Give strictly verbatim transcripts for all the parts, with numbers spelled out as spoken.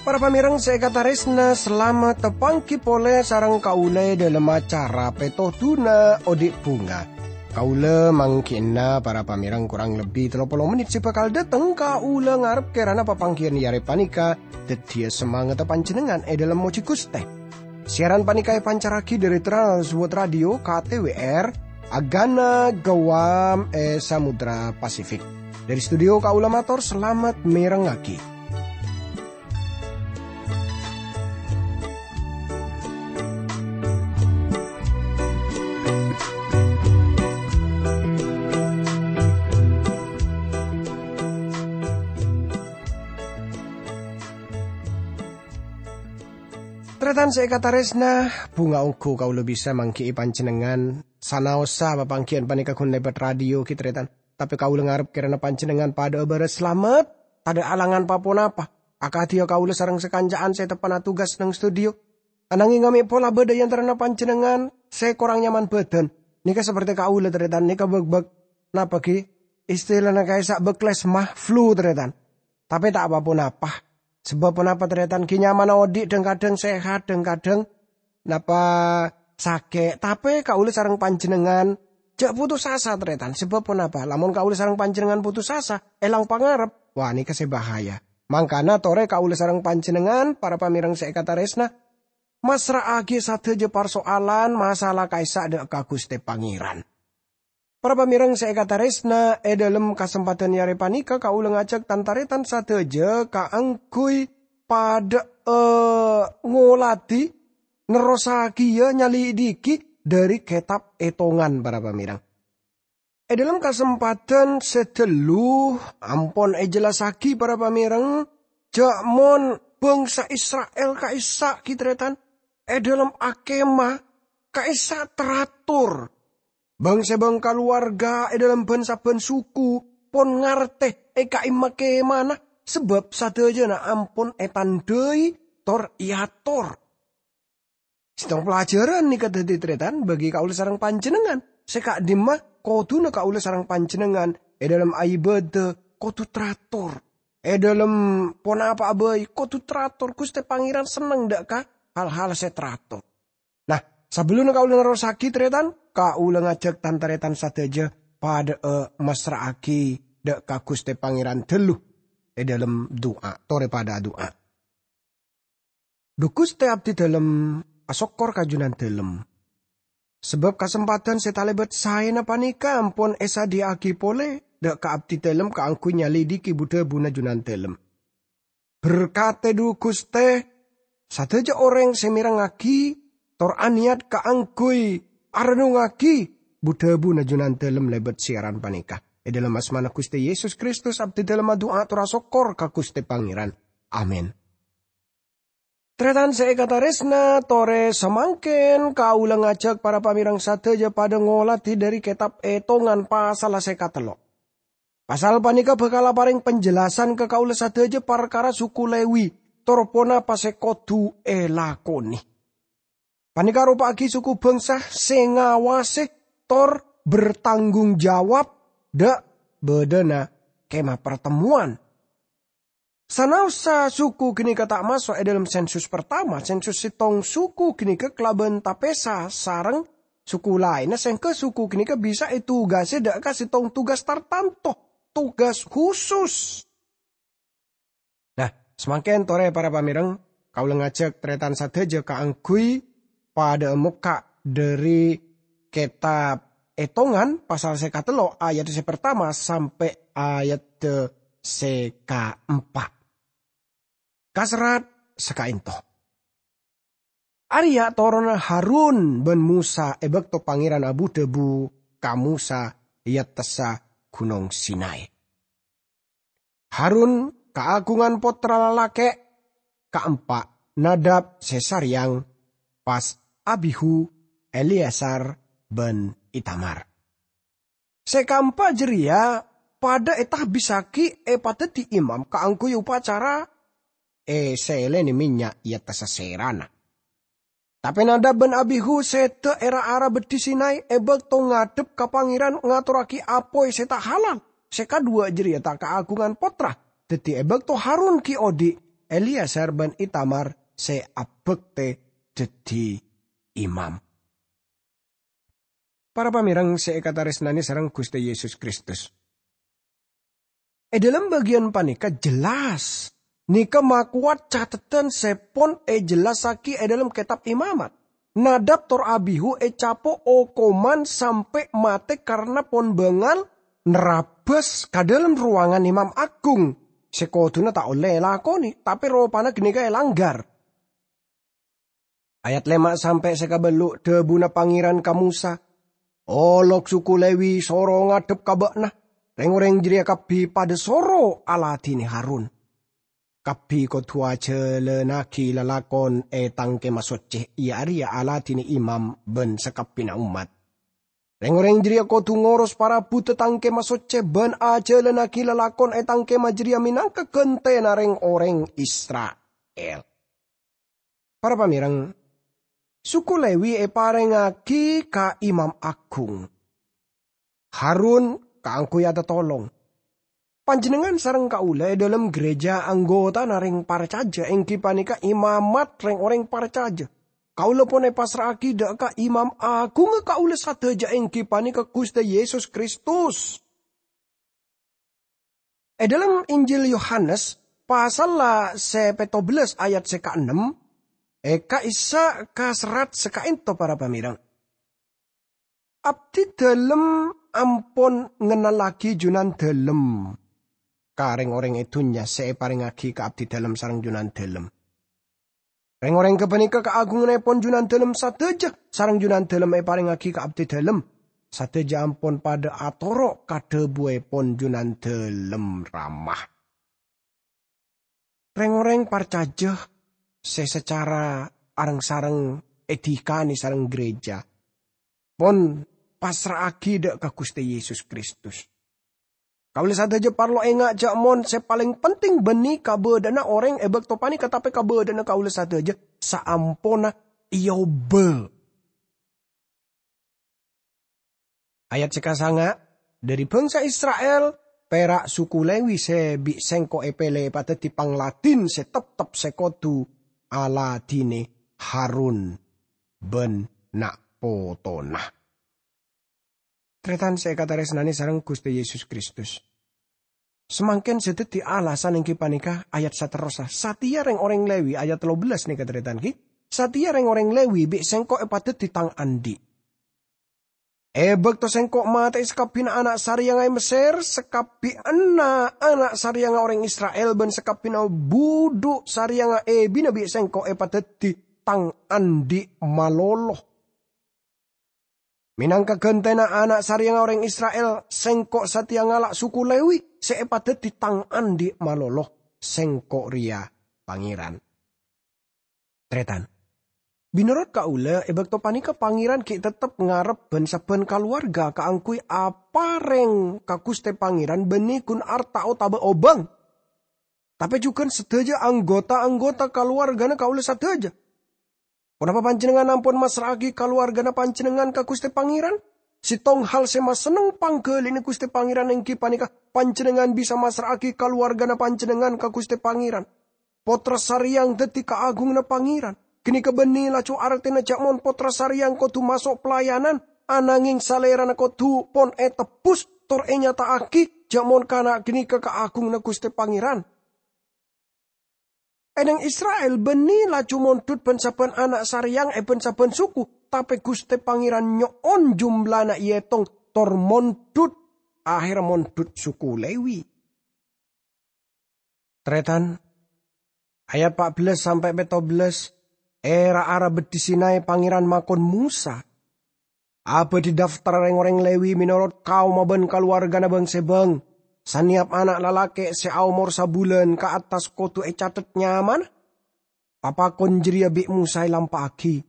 Para pamèrèng sè èkatarèsna, salamet tapangghi polè sareng kaulâ è dhâlem acara Pètodhuna Odi' Bhunga. Kaulâ mangghi'na para pamèrèng korang lebbi tello polo mennit sè bhâkal dâteng. Kaulâ ngarep kèrana papangghiyân è arè panèka dhâddhiyâ samangatta panjhennengngan è dhâlem mojhi Ghustè. Siaran panèka èpancarraghi dhâri Trans World Radio K T W R, Agana Guam è Samudra Pasifik. Dhâri studio kaulâ mator salamet mèrengngaghi. Tarètan sè èkatarèsna, bhunga ongghu kaulâ bisa mangghi'i panjhennengngan sanaossa papangghiyân panèka ghun lèbât radio ghi, tarètan. Tapè kaulâ ngarep kèrana panjhennengngan padhâ'â bârâs salamet, tadhâ' alangan pa-ponapa. Akadhi kaulâ sareng sakanca'an sè teppa'na tugas neng studio. Ananghing mè' pola bâdâ è antarana panjhennengngan sè korang nyaman bhâdhân. Nèka saperte kaulâ, tarètan, nèka bâk-bâk, napa ghi? Istilana ka'issa' bâklesma, flu, tarètan. Tapè ta' pa-ponapa. Sabâb ponapa, tarètan? Ghi' nyamana odi' dhâng-kadhâng sehat, dhâng-kadhâng napa sakè'. Tapè kaulâ sareng panjhennengngan jhâ' putus asa, tarètan. Sabâb ponapa? Lamon kaulâ sareng panjhennengngan putus asa, èlang pangarep, wah, nèka sè bahaya. Mangkana torè kaulâ sareng panjhennengngan, para pamèrèng sè èkatarèsna, massra'aghi sadhâjâ parsoalan, masalah ka'issa' dâ' ka Ghustè Pangèran. Para pamèrèng sè èkatarèsna, è dhâlem kasempadhân è arè panèka kaulâ ngajhâk tan-tarètan sadhâjâ kaangghuy padhâ'â ngolatè, nerrossaghiyâ nyalidiki dhâri kètab Ètongan, para pamèrèng. È dhâlem kasempadhân sè dâllu ampon èjellassaghi, para pamèrèng, jhâ' mon bhângsa Isra'il ka'issa' ghi, tarètan, è dhâlem akèma ka'issa' tarator. Bâng-sèbâng kalowarga è dhâlem bân-sabbhân suku pon ngartè è ka'imma kèmana, sabâb sadhâjâna ampon ètandhâi tor èator. Sèttong pelajaran nèka dhâddhi, tarètan, bagi kaulâ sareng panjhennengngan. Sè ka'dimma, kodhuna kaulâ sareng panjhennengngan è dhâlem aibâdâ kodhu tarator. È dhâlem ponapa'a bhâi kodhu tarator. Ghustè Pangèran senneng dâ' ka hal-hal sè tarator. Nah, sabellunna kaulâ nerrossaghi, tarètan, kaulâ ngajhâk tan-tarètan sadhâjâ padhâ'â massra'aghi dâ' ka Ghustè Pangèran dâllu è dhâlem du'a. Torè padhâ adu'a. Dhu Ghustè, abdhi dhâlem asokkor ka Jhunandhâlem. Sabâb kasempadhân sè talèbât saèna panèka ampon èsadhiyâ'aghi polè dâ' ka abdhi dhâlem kaangghuy nyalidiki bu-dhâbuna Jhunandhâlem. Berkatè, dhu Ghustè, sadhâjâ orèng sè mèrengngaghi tor anèyat kaangghuy arennungngaghi bu-dhâbuna Jhunandhâlem lèbât siaran panèka. È dhâlem asmana Ghustè Yesus Kristus, abdhi dhâlem adu'a tor asokkor ka Ghustè Pangèran. Amin. Tarètan sè èkatarèsna, torè samangkèn kaulâ ngajhâk para pamèrèng sadhâjâ padhâ ngolatè dhâri kètab Ètongan pasalla sè katello'. Pasal panèka bhâkal aparèng panjelasan ka kaulâ sadhâjâ parkara suku Lèwi, tor ponapa sè kodhu èlakonè. Panèka aropa'aghi suku bhângsa sè ngawasè tor bertanggung jawab dâ' bâdâna Kemah Partemmowan. Sanaossa suku ghânèka ta' maso' è dhâlem sensus partama, sensus sèttong suku ghânèka kalabân tapèsa sareng suku laènna, sèngghâ suku ghânèka bisa ètugasè dâ' ka sèttong tugas tartanto, tugas husus. Nah, samangkèn torè para pamèrèng, kaulâ ngajhâk tarètan sadhâjâ kaangghuy padhâ'â mokka' dhâri kètab Ètongan pasal sè katello' ayat sè partama sampè' ayat sè kaempa'. Kaserrat saka'ènto. Arèya toronna Harun bân Mosa è bâkto Pangèran abu-dhâbu ka Mosa è attassa Ghunong Sinai. Harun kaagungan pottra lalakè' kaempa', Nadab sè sarèyang, pas Abihu, Eleazar, bân Itamar. Sè kaempa' jârèya padhâ ètahbissaghi èpadhâddhi imam kaangghuy opacara èsèlènè mènnya' è attassa sèrana. Tapè Nadab bân Abihu sèdhâ è ra-ara beddhi Sinai è bâkto ngadhep ka Pangèran ngatorraghi apoy sè ta' halal. Sè kadhuwâ' jârèya ta' kaagungan pottra. Dhâddhi è bâkto Harun ghi' odi', Eleazar bân Itamar sè abhâktè dhâddhi imam. Para pamèreng sè èkatarèsnanè sareng Ghustè Yesus Kristus. È dhâlem bâgiyân panèka jelas, nèka makowat cateddhân sè pon èjellassaghi è dhâlem Kètab Imamat. Nadab tor Abihu ècapo' okoman sampè' matè karna pon bângal nerrabâs ka dhâlem rowangan Imam Agung sè kodhuna ta' ollè èlakonè, tapè ropana ghânèka èlangghâr. Ayat lèma' sampè' sè kabâllu', dhâbuna Pangèran ka Mosa, "Olok suku Lewi soro ngadhep ka bâ'na. Rèng-orèng jârèya kabbhi padâ soro aladhinè Harun. Kabbhi kodhu ajhâlânnaghi lalakon è Tang Kèma Soccè, iyâ arèya aladhinè imam bân sakabbhiyânna ommat. Rèng-orèng jârèya kodhu ngoros parabuddhâ Tang Kèma Soccè bân ajhâlânnaghi lalakon è Tang Kèma jârèya mènangka ghântèna rèng-orèng Isra'il." Para pamèreng, suku Lewi èparèngaghi ka Imam Agung. Harun kaangghuy atatolong. Panjhennengngan sareng kaulâ è dhâlem ghârèjâ anggotana rèng parcajâ, èngghi panèka imamat rèng-orèng parcajâ. Kaulâ pon èpassra'aghi dhâ' ka Imam Agungnga kaulâ sadhâjâ, èngghi panèka Ghustè Yesus Kristus. È dhâlem Injil Yohanes, pasalla sè pètto bellâs ayat sè kaennem, è ka'issa' ka serrat sè kaènto, para pamèreng. Abdhi dhâlem ampon ngennallaghi Junandhâlem ka rèng-orèng è dhunnya sè èparèngaghi ka Abdhi dhâlem sareng Junandhâlem. Rèng-orèng ghâpanèka kaagungannèpon Junandhâlem sadhâjâ, sareng Junandhâlem èparèngaghi ka Abdhi dhâlem. Sadhâjâ ampon padâ atoro' ka dhâbuèpon Junandhâlem Rama. Rèng-orèng parcajâ sè sacara areng-sareng èdikanè sareng ghârèjâ pon passra'aghi dhâ' ka Ghustè Yesus Kristus. Kaulâ sadhâjâ parlo enga' jâ' mon sè palèng penting bânnè kabâdâ'ânna orèng è bâkto panèka, tapè kabâdâ'ânna kaulâ sadhâjâ saamponna èobâ. Ayat sè kasanga', "Dhâri bhângsa Isra'il, pèra' suku Lewi sè bi' Sèngko' èpèlè èpadhâddhi pangladhin sè teptep sè kodhu aladhinè Harun bân na'-potona." Tarètan sè èkatarèsnanè sareng Ghustè Yesus Kristus. Samangkèn sè dhâddhi alasan èngghi panèka ayat saterrossa. Satèya rèng-orèng Lewi, ayat tello bellâs nèka, tarètan, ghi. Satèya rèng-orèng Lewi bi' Sèngko' èpadhâddhi Tang andi'. È bâkto Sèngko' matè'è sakabbhiyânna ana' sarèyangnga è Messèr, sakabbhiyânna ana' sarèyangnga orèng Isra'il bân sakabbhiyânna budhu sarèyangnga èbina bi' Sèngko' èpadhâddhi Tang andi' malolo. Mènangka ghântèna ana' sarèyangnga orèng Isra'il, Sèngko' satèya ngala' suku Lewi sè èpadhâddhi Tang andi' malolo. Sèngko' rèya Pangèran. Tarètan. Mènorot kaulâ, è bâkto panèka Pangèran ghi' teptep ngarep bân-sabbhân kalowarga kaangghuy aparèng ka Ghustè Pangèran bânnè ghun arta otabâ obâng. Tapè jhughân sadhâjâ anggota-anggota kalowargana kaulâ sadhâjâ. Ponapa panjhennengngan ampon massra'aghi kalowargana panjhennengngan ka Ghustè Pangèran? Sèttong hal sè masenneng pangghâlina Ghustè Pangèran èngghi panèka panjhennengngan bisa massra'aghi kalowargana panjhennengngan ka Ghustè Pangèran. Pottra sarèyang dhâddhi kaagunganna Pangèran. Ghânèka bânnè laju artèna jâ' mon pottra sarèyang kodhu maso' pelayanan, ananghèng salèrana kodhu pon ètebbhus tor ènyata'aghi jâ' mon kana' ghânèka kaagunganna Ghustè Pangèran. È nèng Isra'il bânnè laju mondhut bân-sabbhân ana' sarèyang è bân-sabbhân suku, tapè Ghustè Pangèran nyo'on jumlana èètong tor mondhut, ahèrra mondhut suku Lewi. Tarètan, ayat pa' bellâs sampè' pètto bellâs, è ra-ara beddhi Sinai Pangèran makon Mosa, "Abâdhi daftar rèng-orèng Lewi mènorot kaomma bân kalowargana bâng-sèbâng. Sanèyap ana' lalakè' sè aomor sabulân ka attas kodhu ècatet nyamana." Papakon jârèya bi' Mosa èlampa'aghi.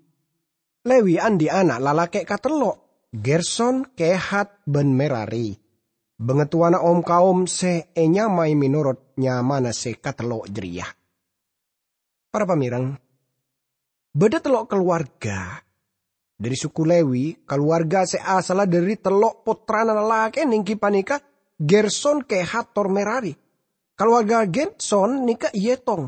Lewi andi' ana' lalakè' katello', Gerson, Kehat, bân Merari. Bangatowana om-kaom sè ènyamaè mènorot nyamana sè katello' jârèya. Para pamèreng, Bâdâ tello' kalowarga dhâri suku Lewi, kalowarga sè asalla dhâri tello' pottrana lalakè nèngghi panèka Gerson, Kehat, tor Merari. Kalowarga Gerson nèka èètong.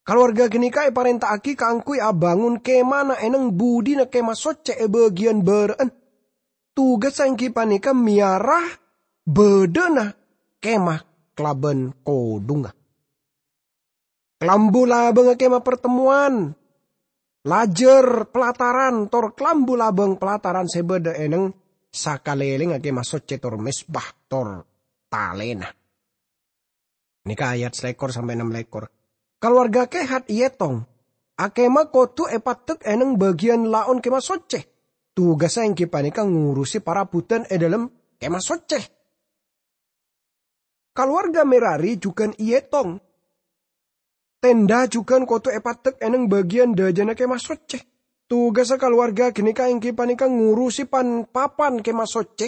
Kalowarga ghânèka èparènta'aghi kaangghuy abângon kemana è nèng budina Kemah Soccè è bâgiyân bârâ'ân. Tugassa èngghi panèka mèyara bâdâna kemah kalabân kodhungnga. Kalambu labângnga Kemah Partemmowan, lajâr palataran, tor kalambu labâng palataran sè bâdâ è nèng sakalèlèngnga Kemah Soccè, tor mezbah, tor talèna. Nèka ayat salèkor sampè' ennem lèkor. Kalowarga Kehat èètong. Akemah kodhu èpaddek è nèng bâgiyân laon Kemah Soccè. Tugassa èngghi panèka ngorossè parabhudan è dhâlem Kemah Soccè. Kalowarga Merari jhughân èètong. Tenda jhughân kodhu èpaddek è nèng bâgiyân dâjâna Kemah Soccè. Tugassa kalowarga ghânèka èngghi panèka ngorossè pan-papan Kemah Soccè,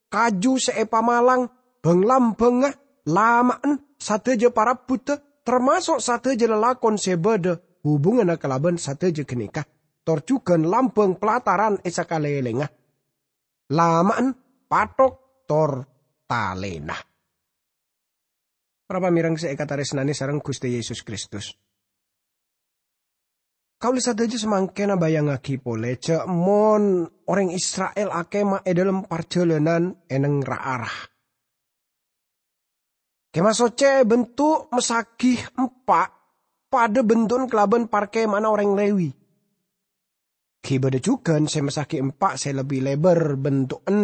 kaju sè èpamalang, bhâng-lambhângnga, lama'an, sadhâjâ parabhuddhâ, tamaso' sadhâjâ lalakon sè bâdâ hubunganna kalabân sadhâjâ ghânèka, tor jhughân lambâng palataran è sakalèlèngnga, lama'an, pathok, tor talèna. Para pamèreng sè èkatarèsnanè sareng Ghustè Yesus Kristus. Kaulâ sadhâjâ samangkèn abayangngaghi polè jhâ' mon orèng Isra'il akemah è dhâlem parjhâlânan è nèng ra-ara. Kemah Soccè èbhentu' massaghi empa', padâ bhento'en kalabân parkema'anna orèng Lewi. Ghi' bâdâ jhughân sè massaghi empa' sè lebbi lèbâr bhento'en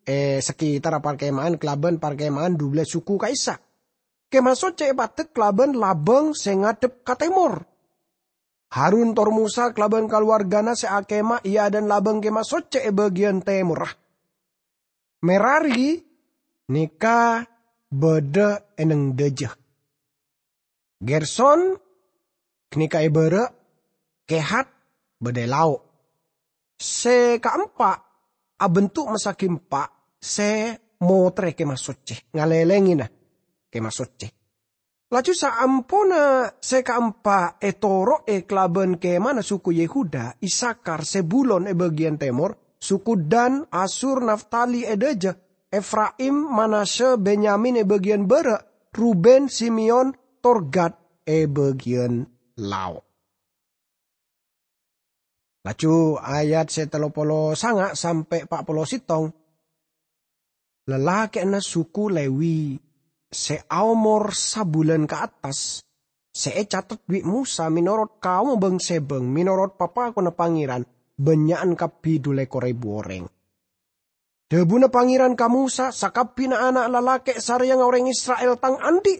è sakitarra parkema'an kalabân parkema'an dubellâs suku ka'issa'. Kemah Soccè èpaddek kalabân labâng sè ngadhep ka tèmor. Harun tor Mosa kalabân kalowargana sè akemah è adâ'na labâng Kemah Soccè è bâgiyân tèmorra. Merari nèka bâdâ è nèng dâjâ. Gerson ghânèka è bârâ', Kehat bâdâ è lao'. Sè kaempa' abhentu' massaghi empa' sè motrè Kemah Soccè, ngalèlèngèna Kemah Soccè. Laju saamponna sè kaempa' ètoro'è kalabân kemana suku Yehuda, Isakar, Zebulon è bâgiyân tèmor, suku Dan, Asyur, Naftali è dâjâ, Efraim, Manasya, Benyamin è bâgiyân bârâ', Ruben, Simeon, tor Gad è bâgiyân lao'. Laju ayat sè tello polo sanga' sampè' pa' polo sèttong. Lalakè'na suku Lewi sè aomor sabulân ka attas, sè ècatet bi' Mosa mènorot kaomma bâng-sèbâng, mènorot papakonna Pangèran, bânnya'an kabbhi dhu lèkor èbu orèng. Dhâbuna Pangèran ka Mosa, "Sakabbhina ana' lalakè' sarèyangnga orèng Isra'il tang andhi'.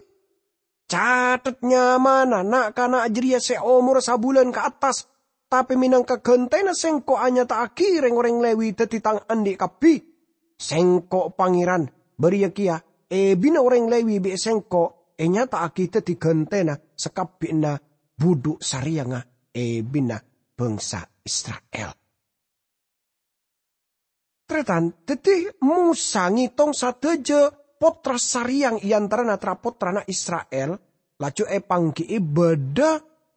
Catet nyamana na'-kana' jârèya sè omorra sabulân ka attas, tapè mènangka ghântèna sèngko' anyata'aghi rèng-orèng Lewi dhâddhi tang andhi' kabbhi. Sèngko' Pangèran, bâriyâ kèya èbina orèng Lewi bi' sèngko' ènyata'aghi dhâddhi ghântèna sakabbhina budhu' sarèyangnga èbina bângsa Isra'il." Tarètan, dhâddhi Mosa ngètong sadhâjâ pottra sarèyang è antarana tra-pottrana Isra'il, laju èpangghi'i bâdâ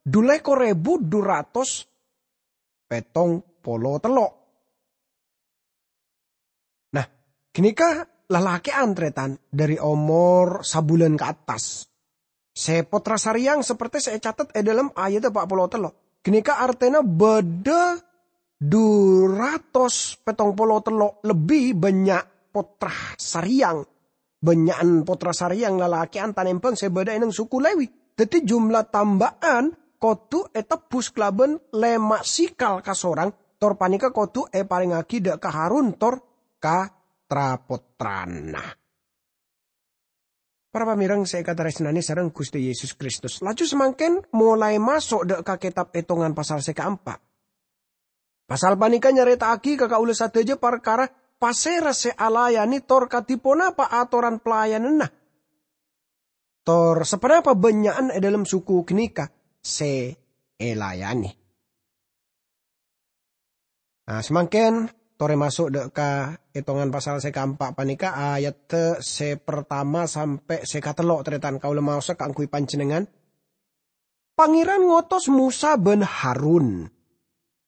dhu lèkor èbu dhu ratos pèttong polo tello'. Nah, ghânèka lalakè'an, tarètan, dhâri omor sabulân ka attas. Sè pottra sarèyang saperte sè ècatet è dhâlem ayat pa' polo tello'. Ghânèka artèna bâdâ dhu ratos pèttong polo tello' lebbi bânnya' pottra sarèyang. Bânnya'an pottra sarèyang lalakè'an tanèmbhâng sè bâdâ è nèng suku Lewi. Dhâddhi jumlah tamba'an kodhu ètebbhus kalabân lèma' sikal kasorang, tor panèka kodhu èparèngngaghi dâ' ka Harun tor ka tra-pottrana. Para pamèreng sè èkatarèsnanè sareng Ghustè Yesus Kristus, laju samangkèn molaè maso' dâ' ka kètab Ètongan pasal sè kaempa'. Pasal panèka nyarèta'aghi ka kaulâ sadhâjâ parkara pasèra sè alayanè tor kadhi ponapa atoran pelayananna. Tor saponapa bânnya'an è dhâlem suku ghânèka sè èlayanè. Nah, samangkèn torè maso' dâ' ka Ètongan pasal sè kaempa' panèka, ayat sè partama sampè' sè katello', tarètan, kaulâ maosa kaangghuy panjhennengngan. Pangèran ngotos Mosa bân Harun,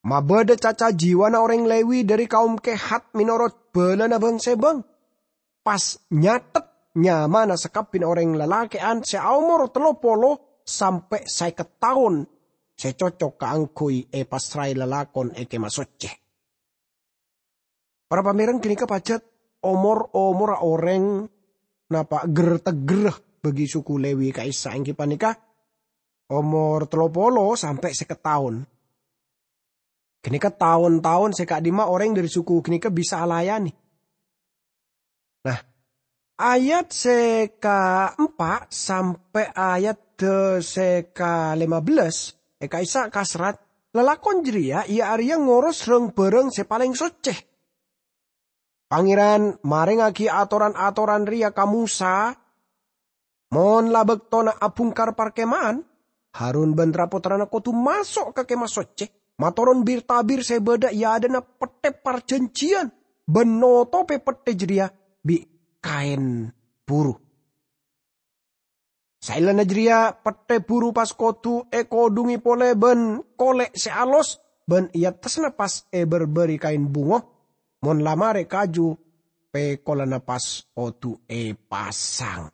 Mabâdâ caca jiwana orèng Lewi dhâri kaum Kehat mènorot bâlâna bâng-sèbâng, pas nyathet nyamana sakabbhiyânna orèng lalakè'an sè aomor tello polo sampè' sèket taon sè cocok kaangghuy èpassraè lalakon è Kèma Soccè. Para pamèreng, ghânèka pajhât omor-omorra orèng napa' ger-teggerra bagi suku Lewi ka'issa', èngghi panèka omor tello polo sampè' sèket taon. Ghânèka taon-taon sè ka'dimma orèng dhâri suku ghânèka bisa alayanè. Nah, ayat sè kaempa' sampè' ayat sè kalèma bellâs è ka'issa' kaserrat, lalakon jârèya iyâ arèya ngoros rang-bhârâng sè palèng soccè. Pangèran marèngaghi atoran-atoran rèya ka Mosa, "Mon la bâktona abhungkar parkema'an, Harun bân tra-pottrana kodhu maso' ka Kèma Soccè, matoron bir-tabir sè bâdâ è adâ'na pettè parjhânjhiyân, bân notobhi pettè jârèya bi' kaèn buru. Saellana jârèya pettè buru pas kodhu èkodhungè polè bân kolè' sè alos, bân è attassa pas èbârbâri kaèn bungo. Mon la marè kaju pèkolana pas kodhu èpasang."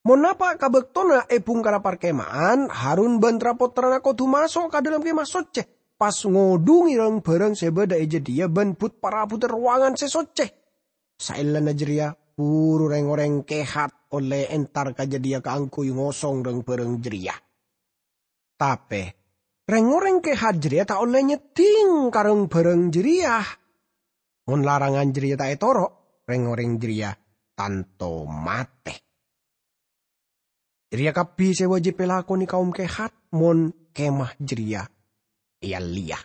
Mon napa' ka bâktona èbhungkara parkema'an, Harun bân tra-pottrana kodhu maso' ka dâlem Kèma Soccè, pas ngodhungè rang-bhârâng sè bâdâ è jâdiyâ bân but-parabuddhâ rowangan sè soccè. Saellana jârèya, buru rèng-orèng Kehat ollè entar ka jâdiyâ kaangghuy ngosong rang-bhârâng jârèya. Tapè, rèng-orèng Kehat jârèya ta' ollè nyeddhing ka rang-bhârâng jârèya. Mon larangan jârèya ta' ètoro', rèng-orèng jârèya tanto matè. Jârèya kabbhi sè wâjib èlakonè kaum Kehat mon kemah jârèya èyalèya.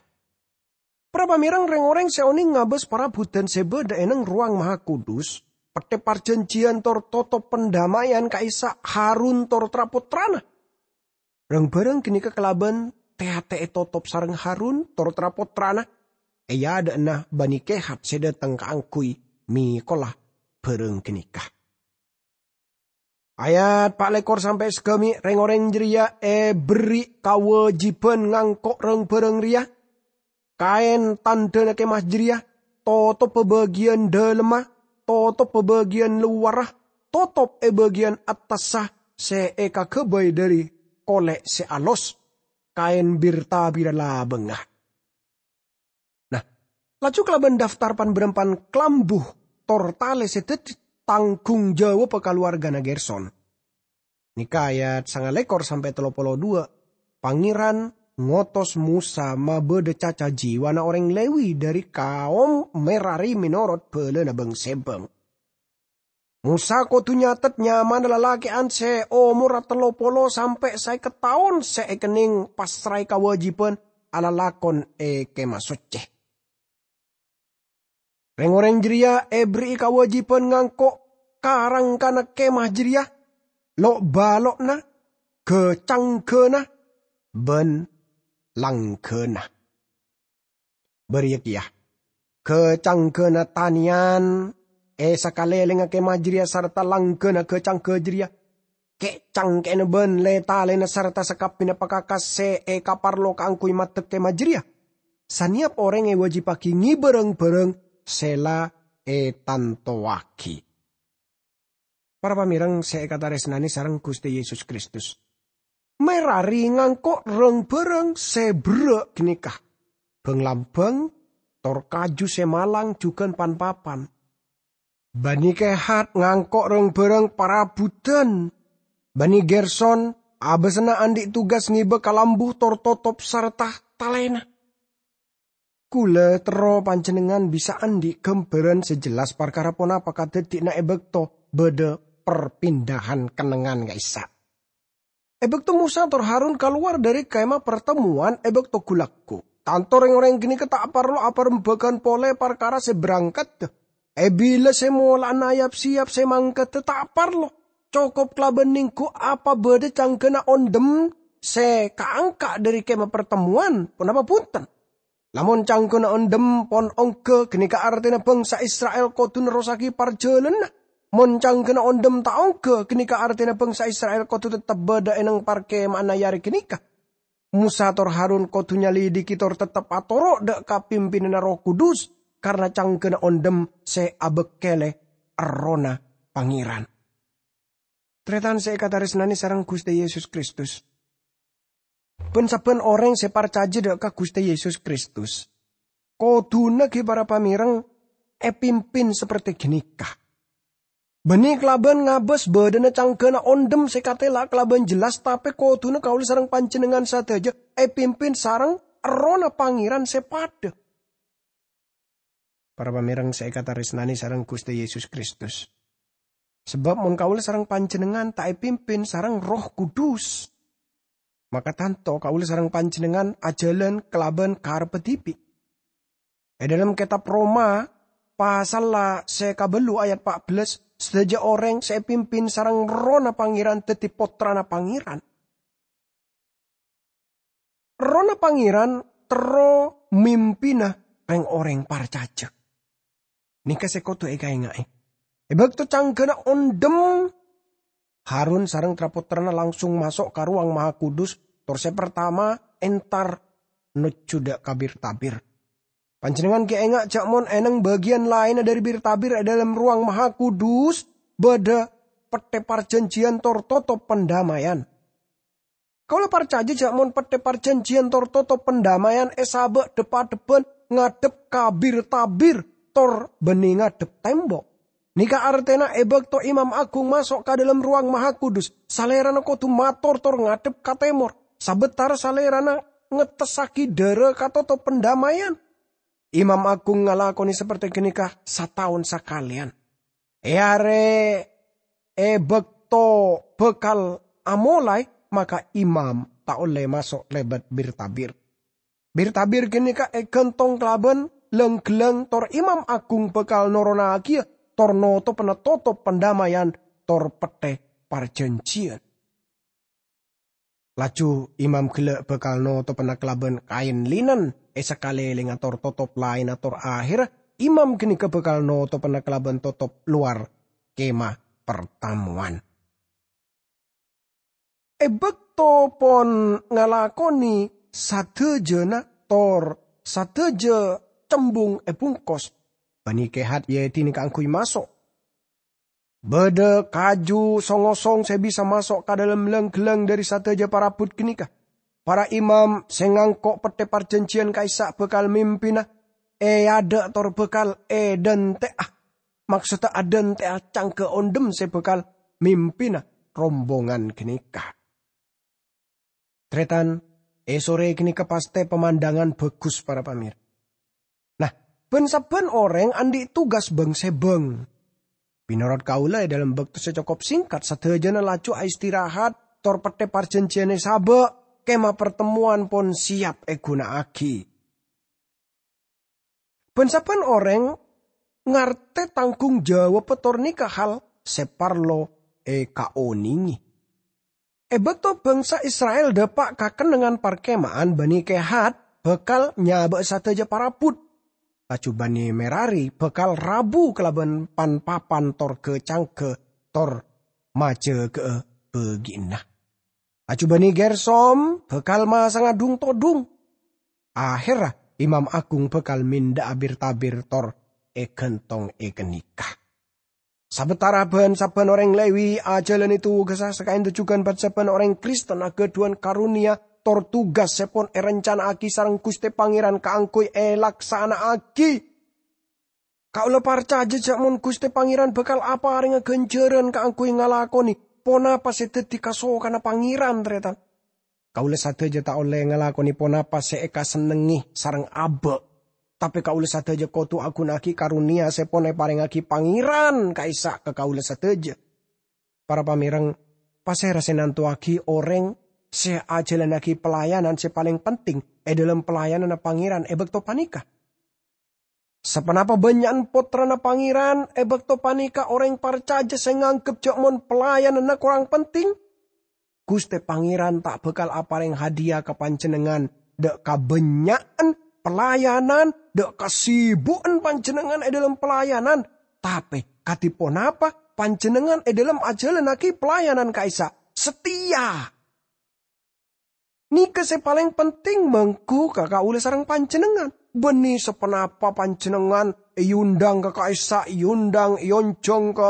Para pamèreng, rèng-orèng sè onèng ngabâs parabuddhân sè bâdâ è neng Rowang Mahakudus, pettè parjhânjhiyân tor totop pandamèyan ka'issa' Harun tor tra-pottrana. Rang-bhârâng ghânèka kalabân tè-atè ètotop sareng Harun tor tra-pottrana è adâ'na Bani Kehat sè dâteng kaangghuy mèkola bhârâng ghânèka. Ayat pa' lèkor sampè' sagâmè', rèng-orèng jârèya èberri' kawâjibhân ngangko' rang-bhârâng rèya: kaèn tandhâna kemah jârèya, totobbhâ bâgiyân dâlemma, totobbhâ bâgiyân lowarra, totop è bâgiyân attassa sè èkaghâbây dhâri kolè' sè alos, kaèn bir-tabirra labângnga. Nah, laju kalabân daftar pan-bârâmpan kalambu tor talè sè dhâddhi tangghung jawabbhâ kalowargana Gerson. Nèka ayat sangalèkor sampè' tello polo duwâ', Pangèran ngotos Mosa mabâdâ caca jiwana orèng Lewi dhâri kaom Merari mènorot bhâlâna bâng-sèbâng. Mosa kodhu nyathet nyamana lalakè'an sè omorra tello polo sampè' sèket taon sè èkennèng passraè kawâjibhân alalakon è Kemah Soccè. Rèng-orèng jârèya èberri'i kawâjibhân ngangko' ka-rangkana kemah jârèya, lo'-bâlo'na, ghâ-canggâna, bân langghâna. Bâriyâ kèya, ghâ-canggâna tanèyan è sakalèlèngnga kemah jârèya sarta langghâna ghâ-canggâ jârèya, kè'-cangkè'na bân lè-talèna sarta sakabbhiyânna pakakas sè èkaparlo kaangghuy maddhek kemah jârèya. Sanèyap orèng èwâjibbhâghi ngèbâ rang-bhârâng sè la ètantowaghi. Para pamèreng sè èkatarèsnanè sareng Ghustè Yesus Kristus, Merari ngangko' rang-bhârâng sè berrâ' ghânèka: bhâng-lambhâng, tor kaju sè malang jhughân pan-papan. Bani Kehat ngangko' rang-bhârâng parabhudhân. Bani Gerson abâsana andi' tugas ngèbâ kalambu tor totop sarta talèna. Kaulâ terro panjhennengngan bisa andi' ghâmbhârân sè jelas parkara ponapa kadhâddhiyânna è bâkto bâdâ perpindahan kennengngan ka'issa'. È bâkto Mosa tor Harun kalowar dhâri Kemah Partemmowan è bâkto ghu-lagghu, tanto rèng-orèng ghânèka ta' parlo aparembhâghân polè parkara sè berangkadda. È bilâ sè mola'ana ayap-sèyap sè mangkadda ta' parlo, cokop kalabân nèngghu apa bâdâ canggâna ondhem sè kaangka' dhâri Kemah Partemmowan, ponapa bhunten? Lamon canggâna ondhem pon ongghâ, ghânèka artèna bhângsa Isra'il kodhu nerrossaghi parjhâlânanna. Mon canggâna ondhem ta' ongghâ, ghânèka artèna bhângsa Isra'il kodhu teptep bâdâ è neng parkema'anna è arè ghânèka. Mosa tor Harun kodhu nyalidhiki tor teptep atoro' dha' ka pimpinanna Erroh Kudus, karna canggana ondhem se abekkele Errohna Pangeran. Taretan se ekataresnane sareng Guste Yesus Kristus. Ban-sabban oreng se parcaja dha' ka Guste Yesus Kristus, kodhuna gi para pamereng epimpin saperte ganeka. Banne kalaban ngabas badhana canggana ondhem se katela kalaban jelas, tape kodhuna kaula sareng panjennengan sadaja epimpin sareng Errohna Pangeran se padha. Para pamereng se ekataresnane sareng Guste Yesus Kristus. Sabab mon kaula sareng panjennengan ta' epimpin sareng Erroh Kudus, maka tanto kaula sareng panjennengan ajalan kalaban karebbhâ dibi'. E dhalem Ketab Roma, pasalla se kabellu ayat pa' bellas, sadaja oreng se epimpin sareng Errohna Pangeran daddi pottrana Pangeran. Errohna Pangeran terro mimpina reng-oreng parcaja. Neka se kodhu ekaenga'e. E bakto canggana ondhem, Harun sareng tra-pottrana langsung maso' ka Rowang Mahakudus, tor se partama entar nojju dha' ka bir-tabir. Panjennengan gi' enga' ja' mon e neng bagiyan laenna dhari bir-tabir e dhalem Rowang Mahakudus badha Petthe Parjanjiyan tor totop pandammayan. Kaula parcaja ja' mon Petthe Parjanjiyan tor totop pandammayan esaba' dhep-adhebban ngadhep ka bir-tabir tor banne ngadhep tembo'. Neka artena e bakto Imam Agung maso' ka dhalem Rowang Mahakudus, Salerana kodhu mator tor ngadhep ka temor, sabatara Salerana ngettessagi dhara ka totop pandammayan. Imam Agung ngalakone saperte ganeka sataon sakaleyan. E are e bakto bakal amolae, maka imam ta' olle maso' lebat bir-tabir. Bir-tabir ganeka egantong kalaban lang-gellang, tor Imam Agung bakal noronagiya tor notopana totop pandammayan tor Petthe Parjanjiyan. Laju imam gella' bakal notopana kalaban kaen linen e sakalelengnga tor totop laenna, tor aherra imam ganeka bakal notopana kalaban totop lowar Kemah Partamowan. E bakto pon ngalakone sadajana tor sadaja cembung ebungkos, Bani Kehat eedine kaangguy maso'. Badha kaju song-osong se bisa maso' ka dhalem lang-gellang dhari sadaja parabbut ganeka. Para imam se ngangko' Petthe Parjanjiyan ka'issa' bakal mimpina e adha' tor bakal edante'a. Maksodda adante'a cangga ondhem se bakal mimpina rombongan ganeka. Taretan, e sore ganeka paste pamandangan bagus, para pamir. Nah, ban-sabban oreng andhi' tugas bang-sebang. Menorot kaula, e dhalem bakto se cokop sengkat, sadajana laju aistirahat, tor Petthe Parjanjiyan esaba', Kemah Partamowan pon siyap eguna'agi. Ban-sabban oreng ngarte tanggung jawab tor neka hal se parlo ekaonenge. E bakto bangsa Isra'il dapa' ka kennengngan parkema'an, Bani Kehat bakal nyaba'a sadaja parabbut. Laju Bani Merari bakal rabu kalaban pan-papan tor ga-cangga tor majaga'a bagi'anna. Laju Bani Gersom bakal masanga dhung-todhung. Aherra Imam Agung bakal menda'a bir-tabir tor egantong e ganeka. Sabatara ban-sabban oreng Lewi ajalane tugassa sakaen jugan, ban-sabban oreng Kristen agadhuwan karonia tor tugas se pon erencana'agi sareng Guste Pangeran kaangguy elaksana'agi. Kaula parcaja ja' mon Guste Pangeran bakal aparenga ganjaran kaangguy ngalakone ponapa se daddi kasokanna Pangeran, taretan. Kaula sadaja ta' olle ngalakone ponapa se ekasennengnge sareng aba', tape kaula sadaja kodu aguna'agi karonia se pon eparengngagi Pangeran ka'issa' ka kaula sadaja. Para pamereng, pasera se nantowagi oreng se ajalannagi pelayanan se paleng penting e dhalem pelayananna Pangeran e bakto paneka? Saponapa bannya'an pottrana Pangeran e bakto paneka oreng parcaja se nganggep ja' mon pelayananna korang penting? Guste Pangeran ta' bakal apareng hadiya ka panjennengngan dha' kabannya'an pelayanan, dha' kasibu'an panjennengngan e dhalem pelayanan. Tape, kadi ponapa panjennengngan e dhalem ajalannagi pelayanan ka'issa'? Sateya! Nèka sè palèng penting mongghu ka kaulâ sareng panjhennengngan. Bânnè saponapa panjhennengngan èondhâng ka ka'issa', èondhâng, èonjhâng ka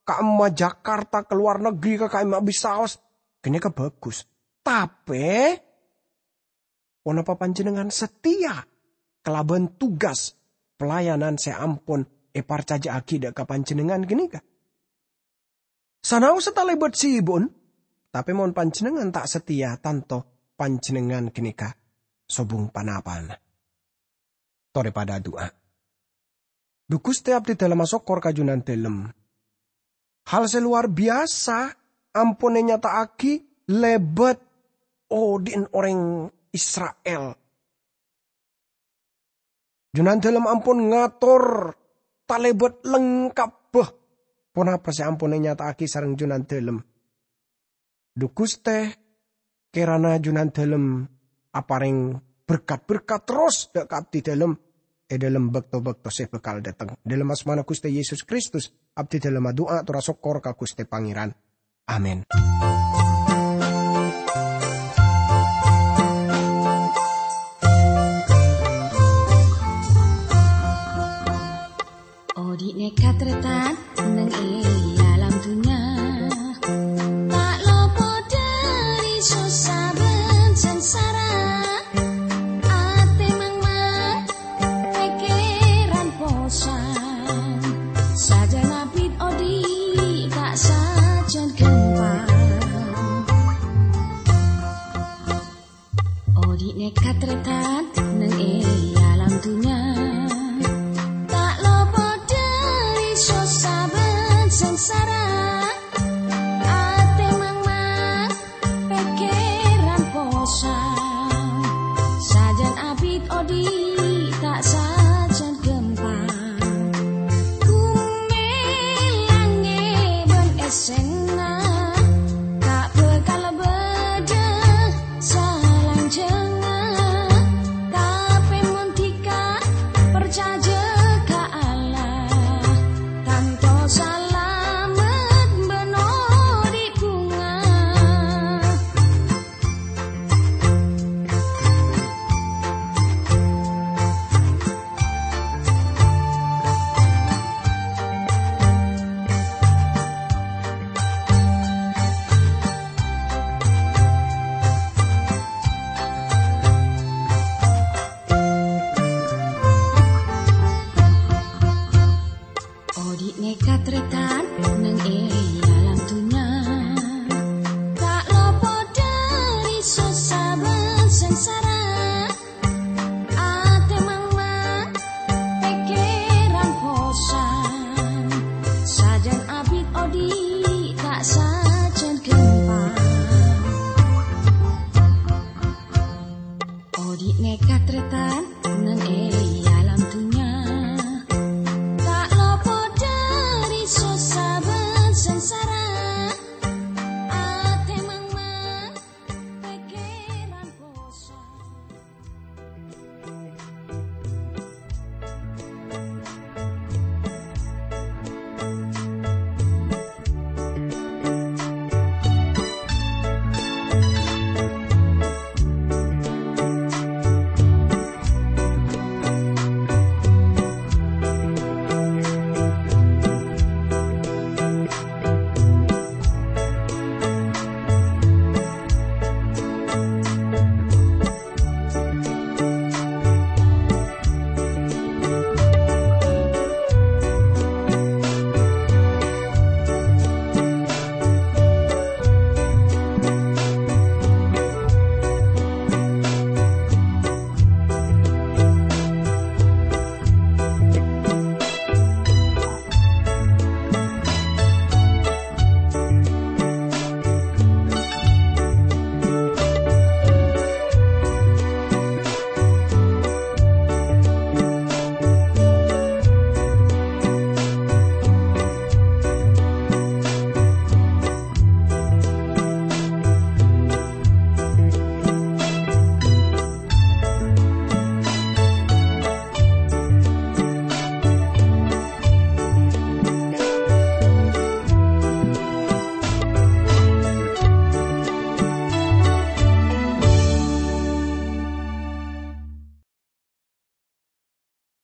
ka'imma Jakarta, ka lowar negri, ka ka'imma bisaos. Ghânèka bhâghus. Tapè, ponapa panjhennengngan satèya kalabân tugas pelayanan sè ampon èparcajâ'aghi dâ' ka panjhennengngan ghânèka? Sanaossa talèbât sibun, tapè mon panjhennengngan ta' satèya, tanto panjhennengngan ghânèka sobung panapa'na. Torè padâ adu'a. Dhu Ghustè, abdhidhâlem asokkor ka Junandhâlem. Hal sè lowar biyasa ampon ènyata'aghi lèbât odi'na orèng Isra'il. Junandhâlem ampon ngator talèbât lengkabbhâ ponapa sè ampon ènyata'aghi sareng Junandhâlem. Dhu Ghustè, kèrana Junandhâlem aparèng berkat-berkat terros dâ' ka abdhidhâlem è dhâlem bâkto-bâkto sè bhâkal dâteng. Dhâlem asmana Ghustè Yesus Kristus, abdhidhâlem adu'a tor asokkor ka Ghustè Pangèran. Amin. Odi' nèka tarètan neng è alam dunnya, ta' lopot dhâri sossa bân sangsara. Atè mangmang, pèkkèran posang, sajân abit odi' ta' sajân ghâmpang. Odi' nèka tarètan neng è alam dunnya, ta' lopot dhâri sossa bân sangsara. Atè mangmang, pèkkèran posang, sajân abit odi' ta' sajân ghâmpang. Bhumè, langngè bân èssèna ta' bhâkal bâdâ salanjhângnga, tapè mon dhika parcajâ ka Allah, tanto salamet bân odi' bhunga. Odi' nèka tarètan neng è alam dunnya, ta' lopot dhâri sossa bân sangsara. Atè mangmang, pèkkèran posang, sajân abit odi' ta' sajân ghâmpang. Odi' nèka tarètan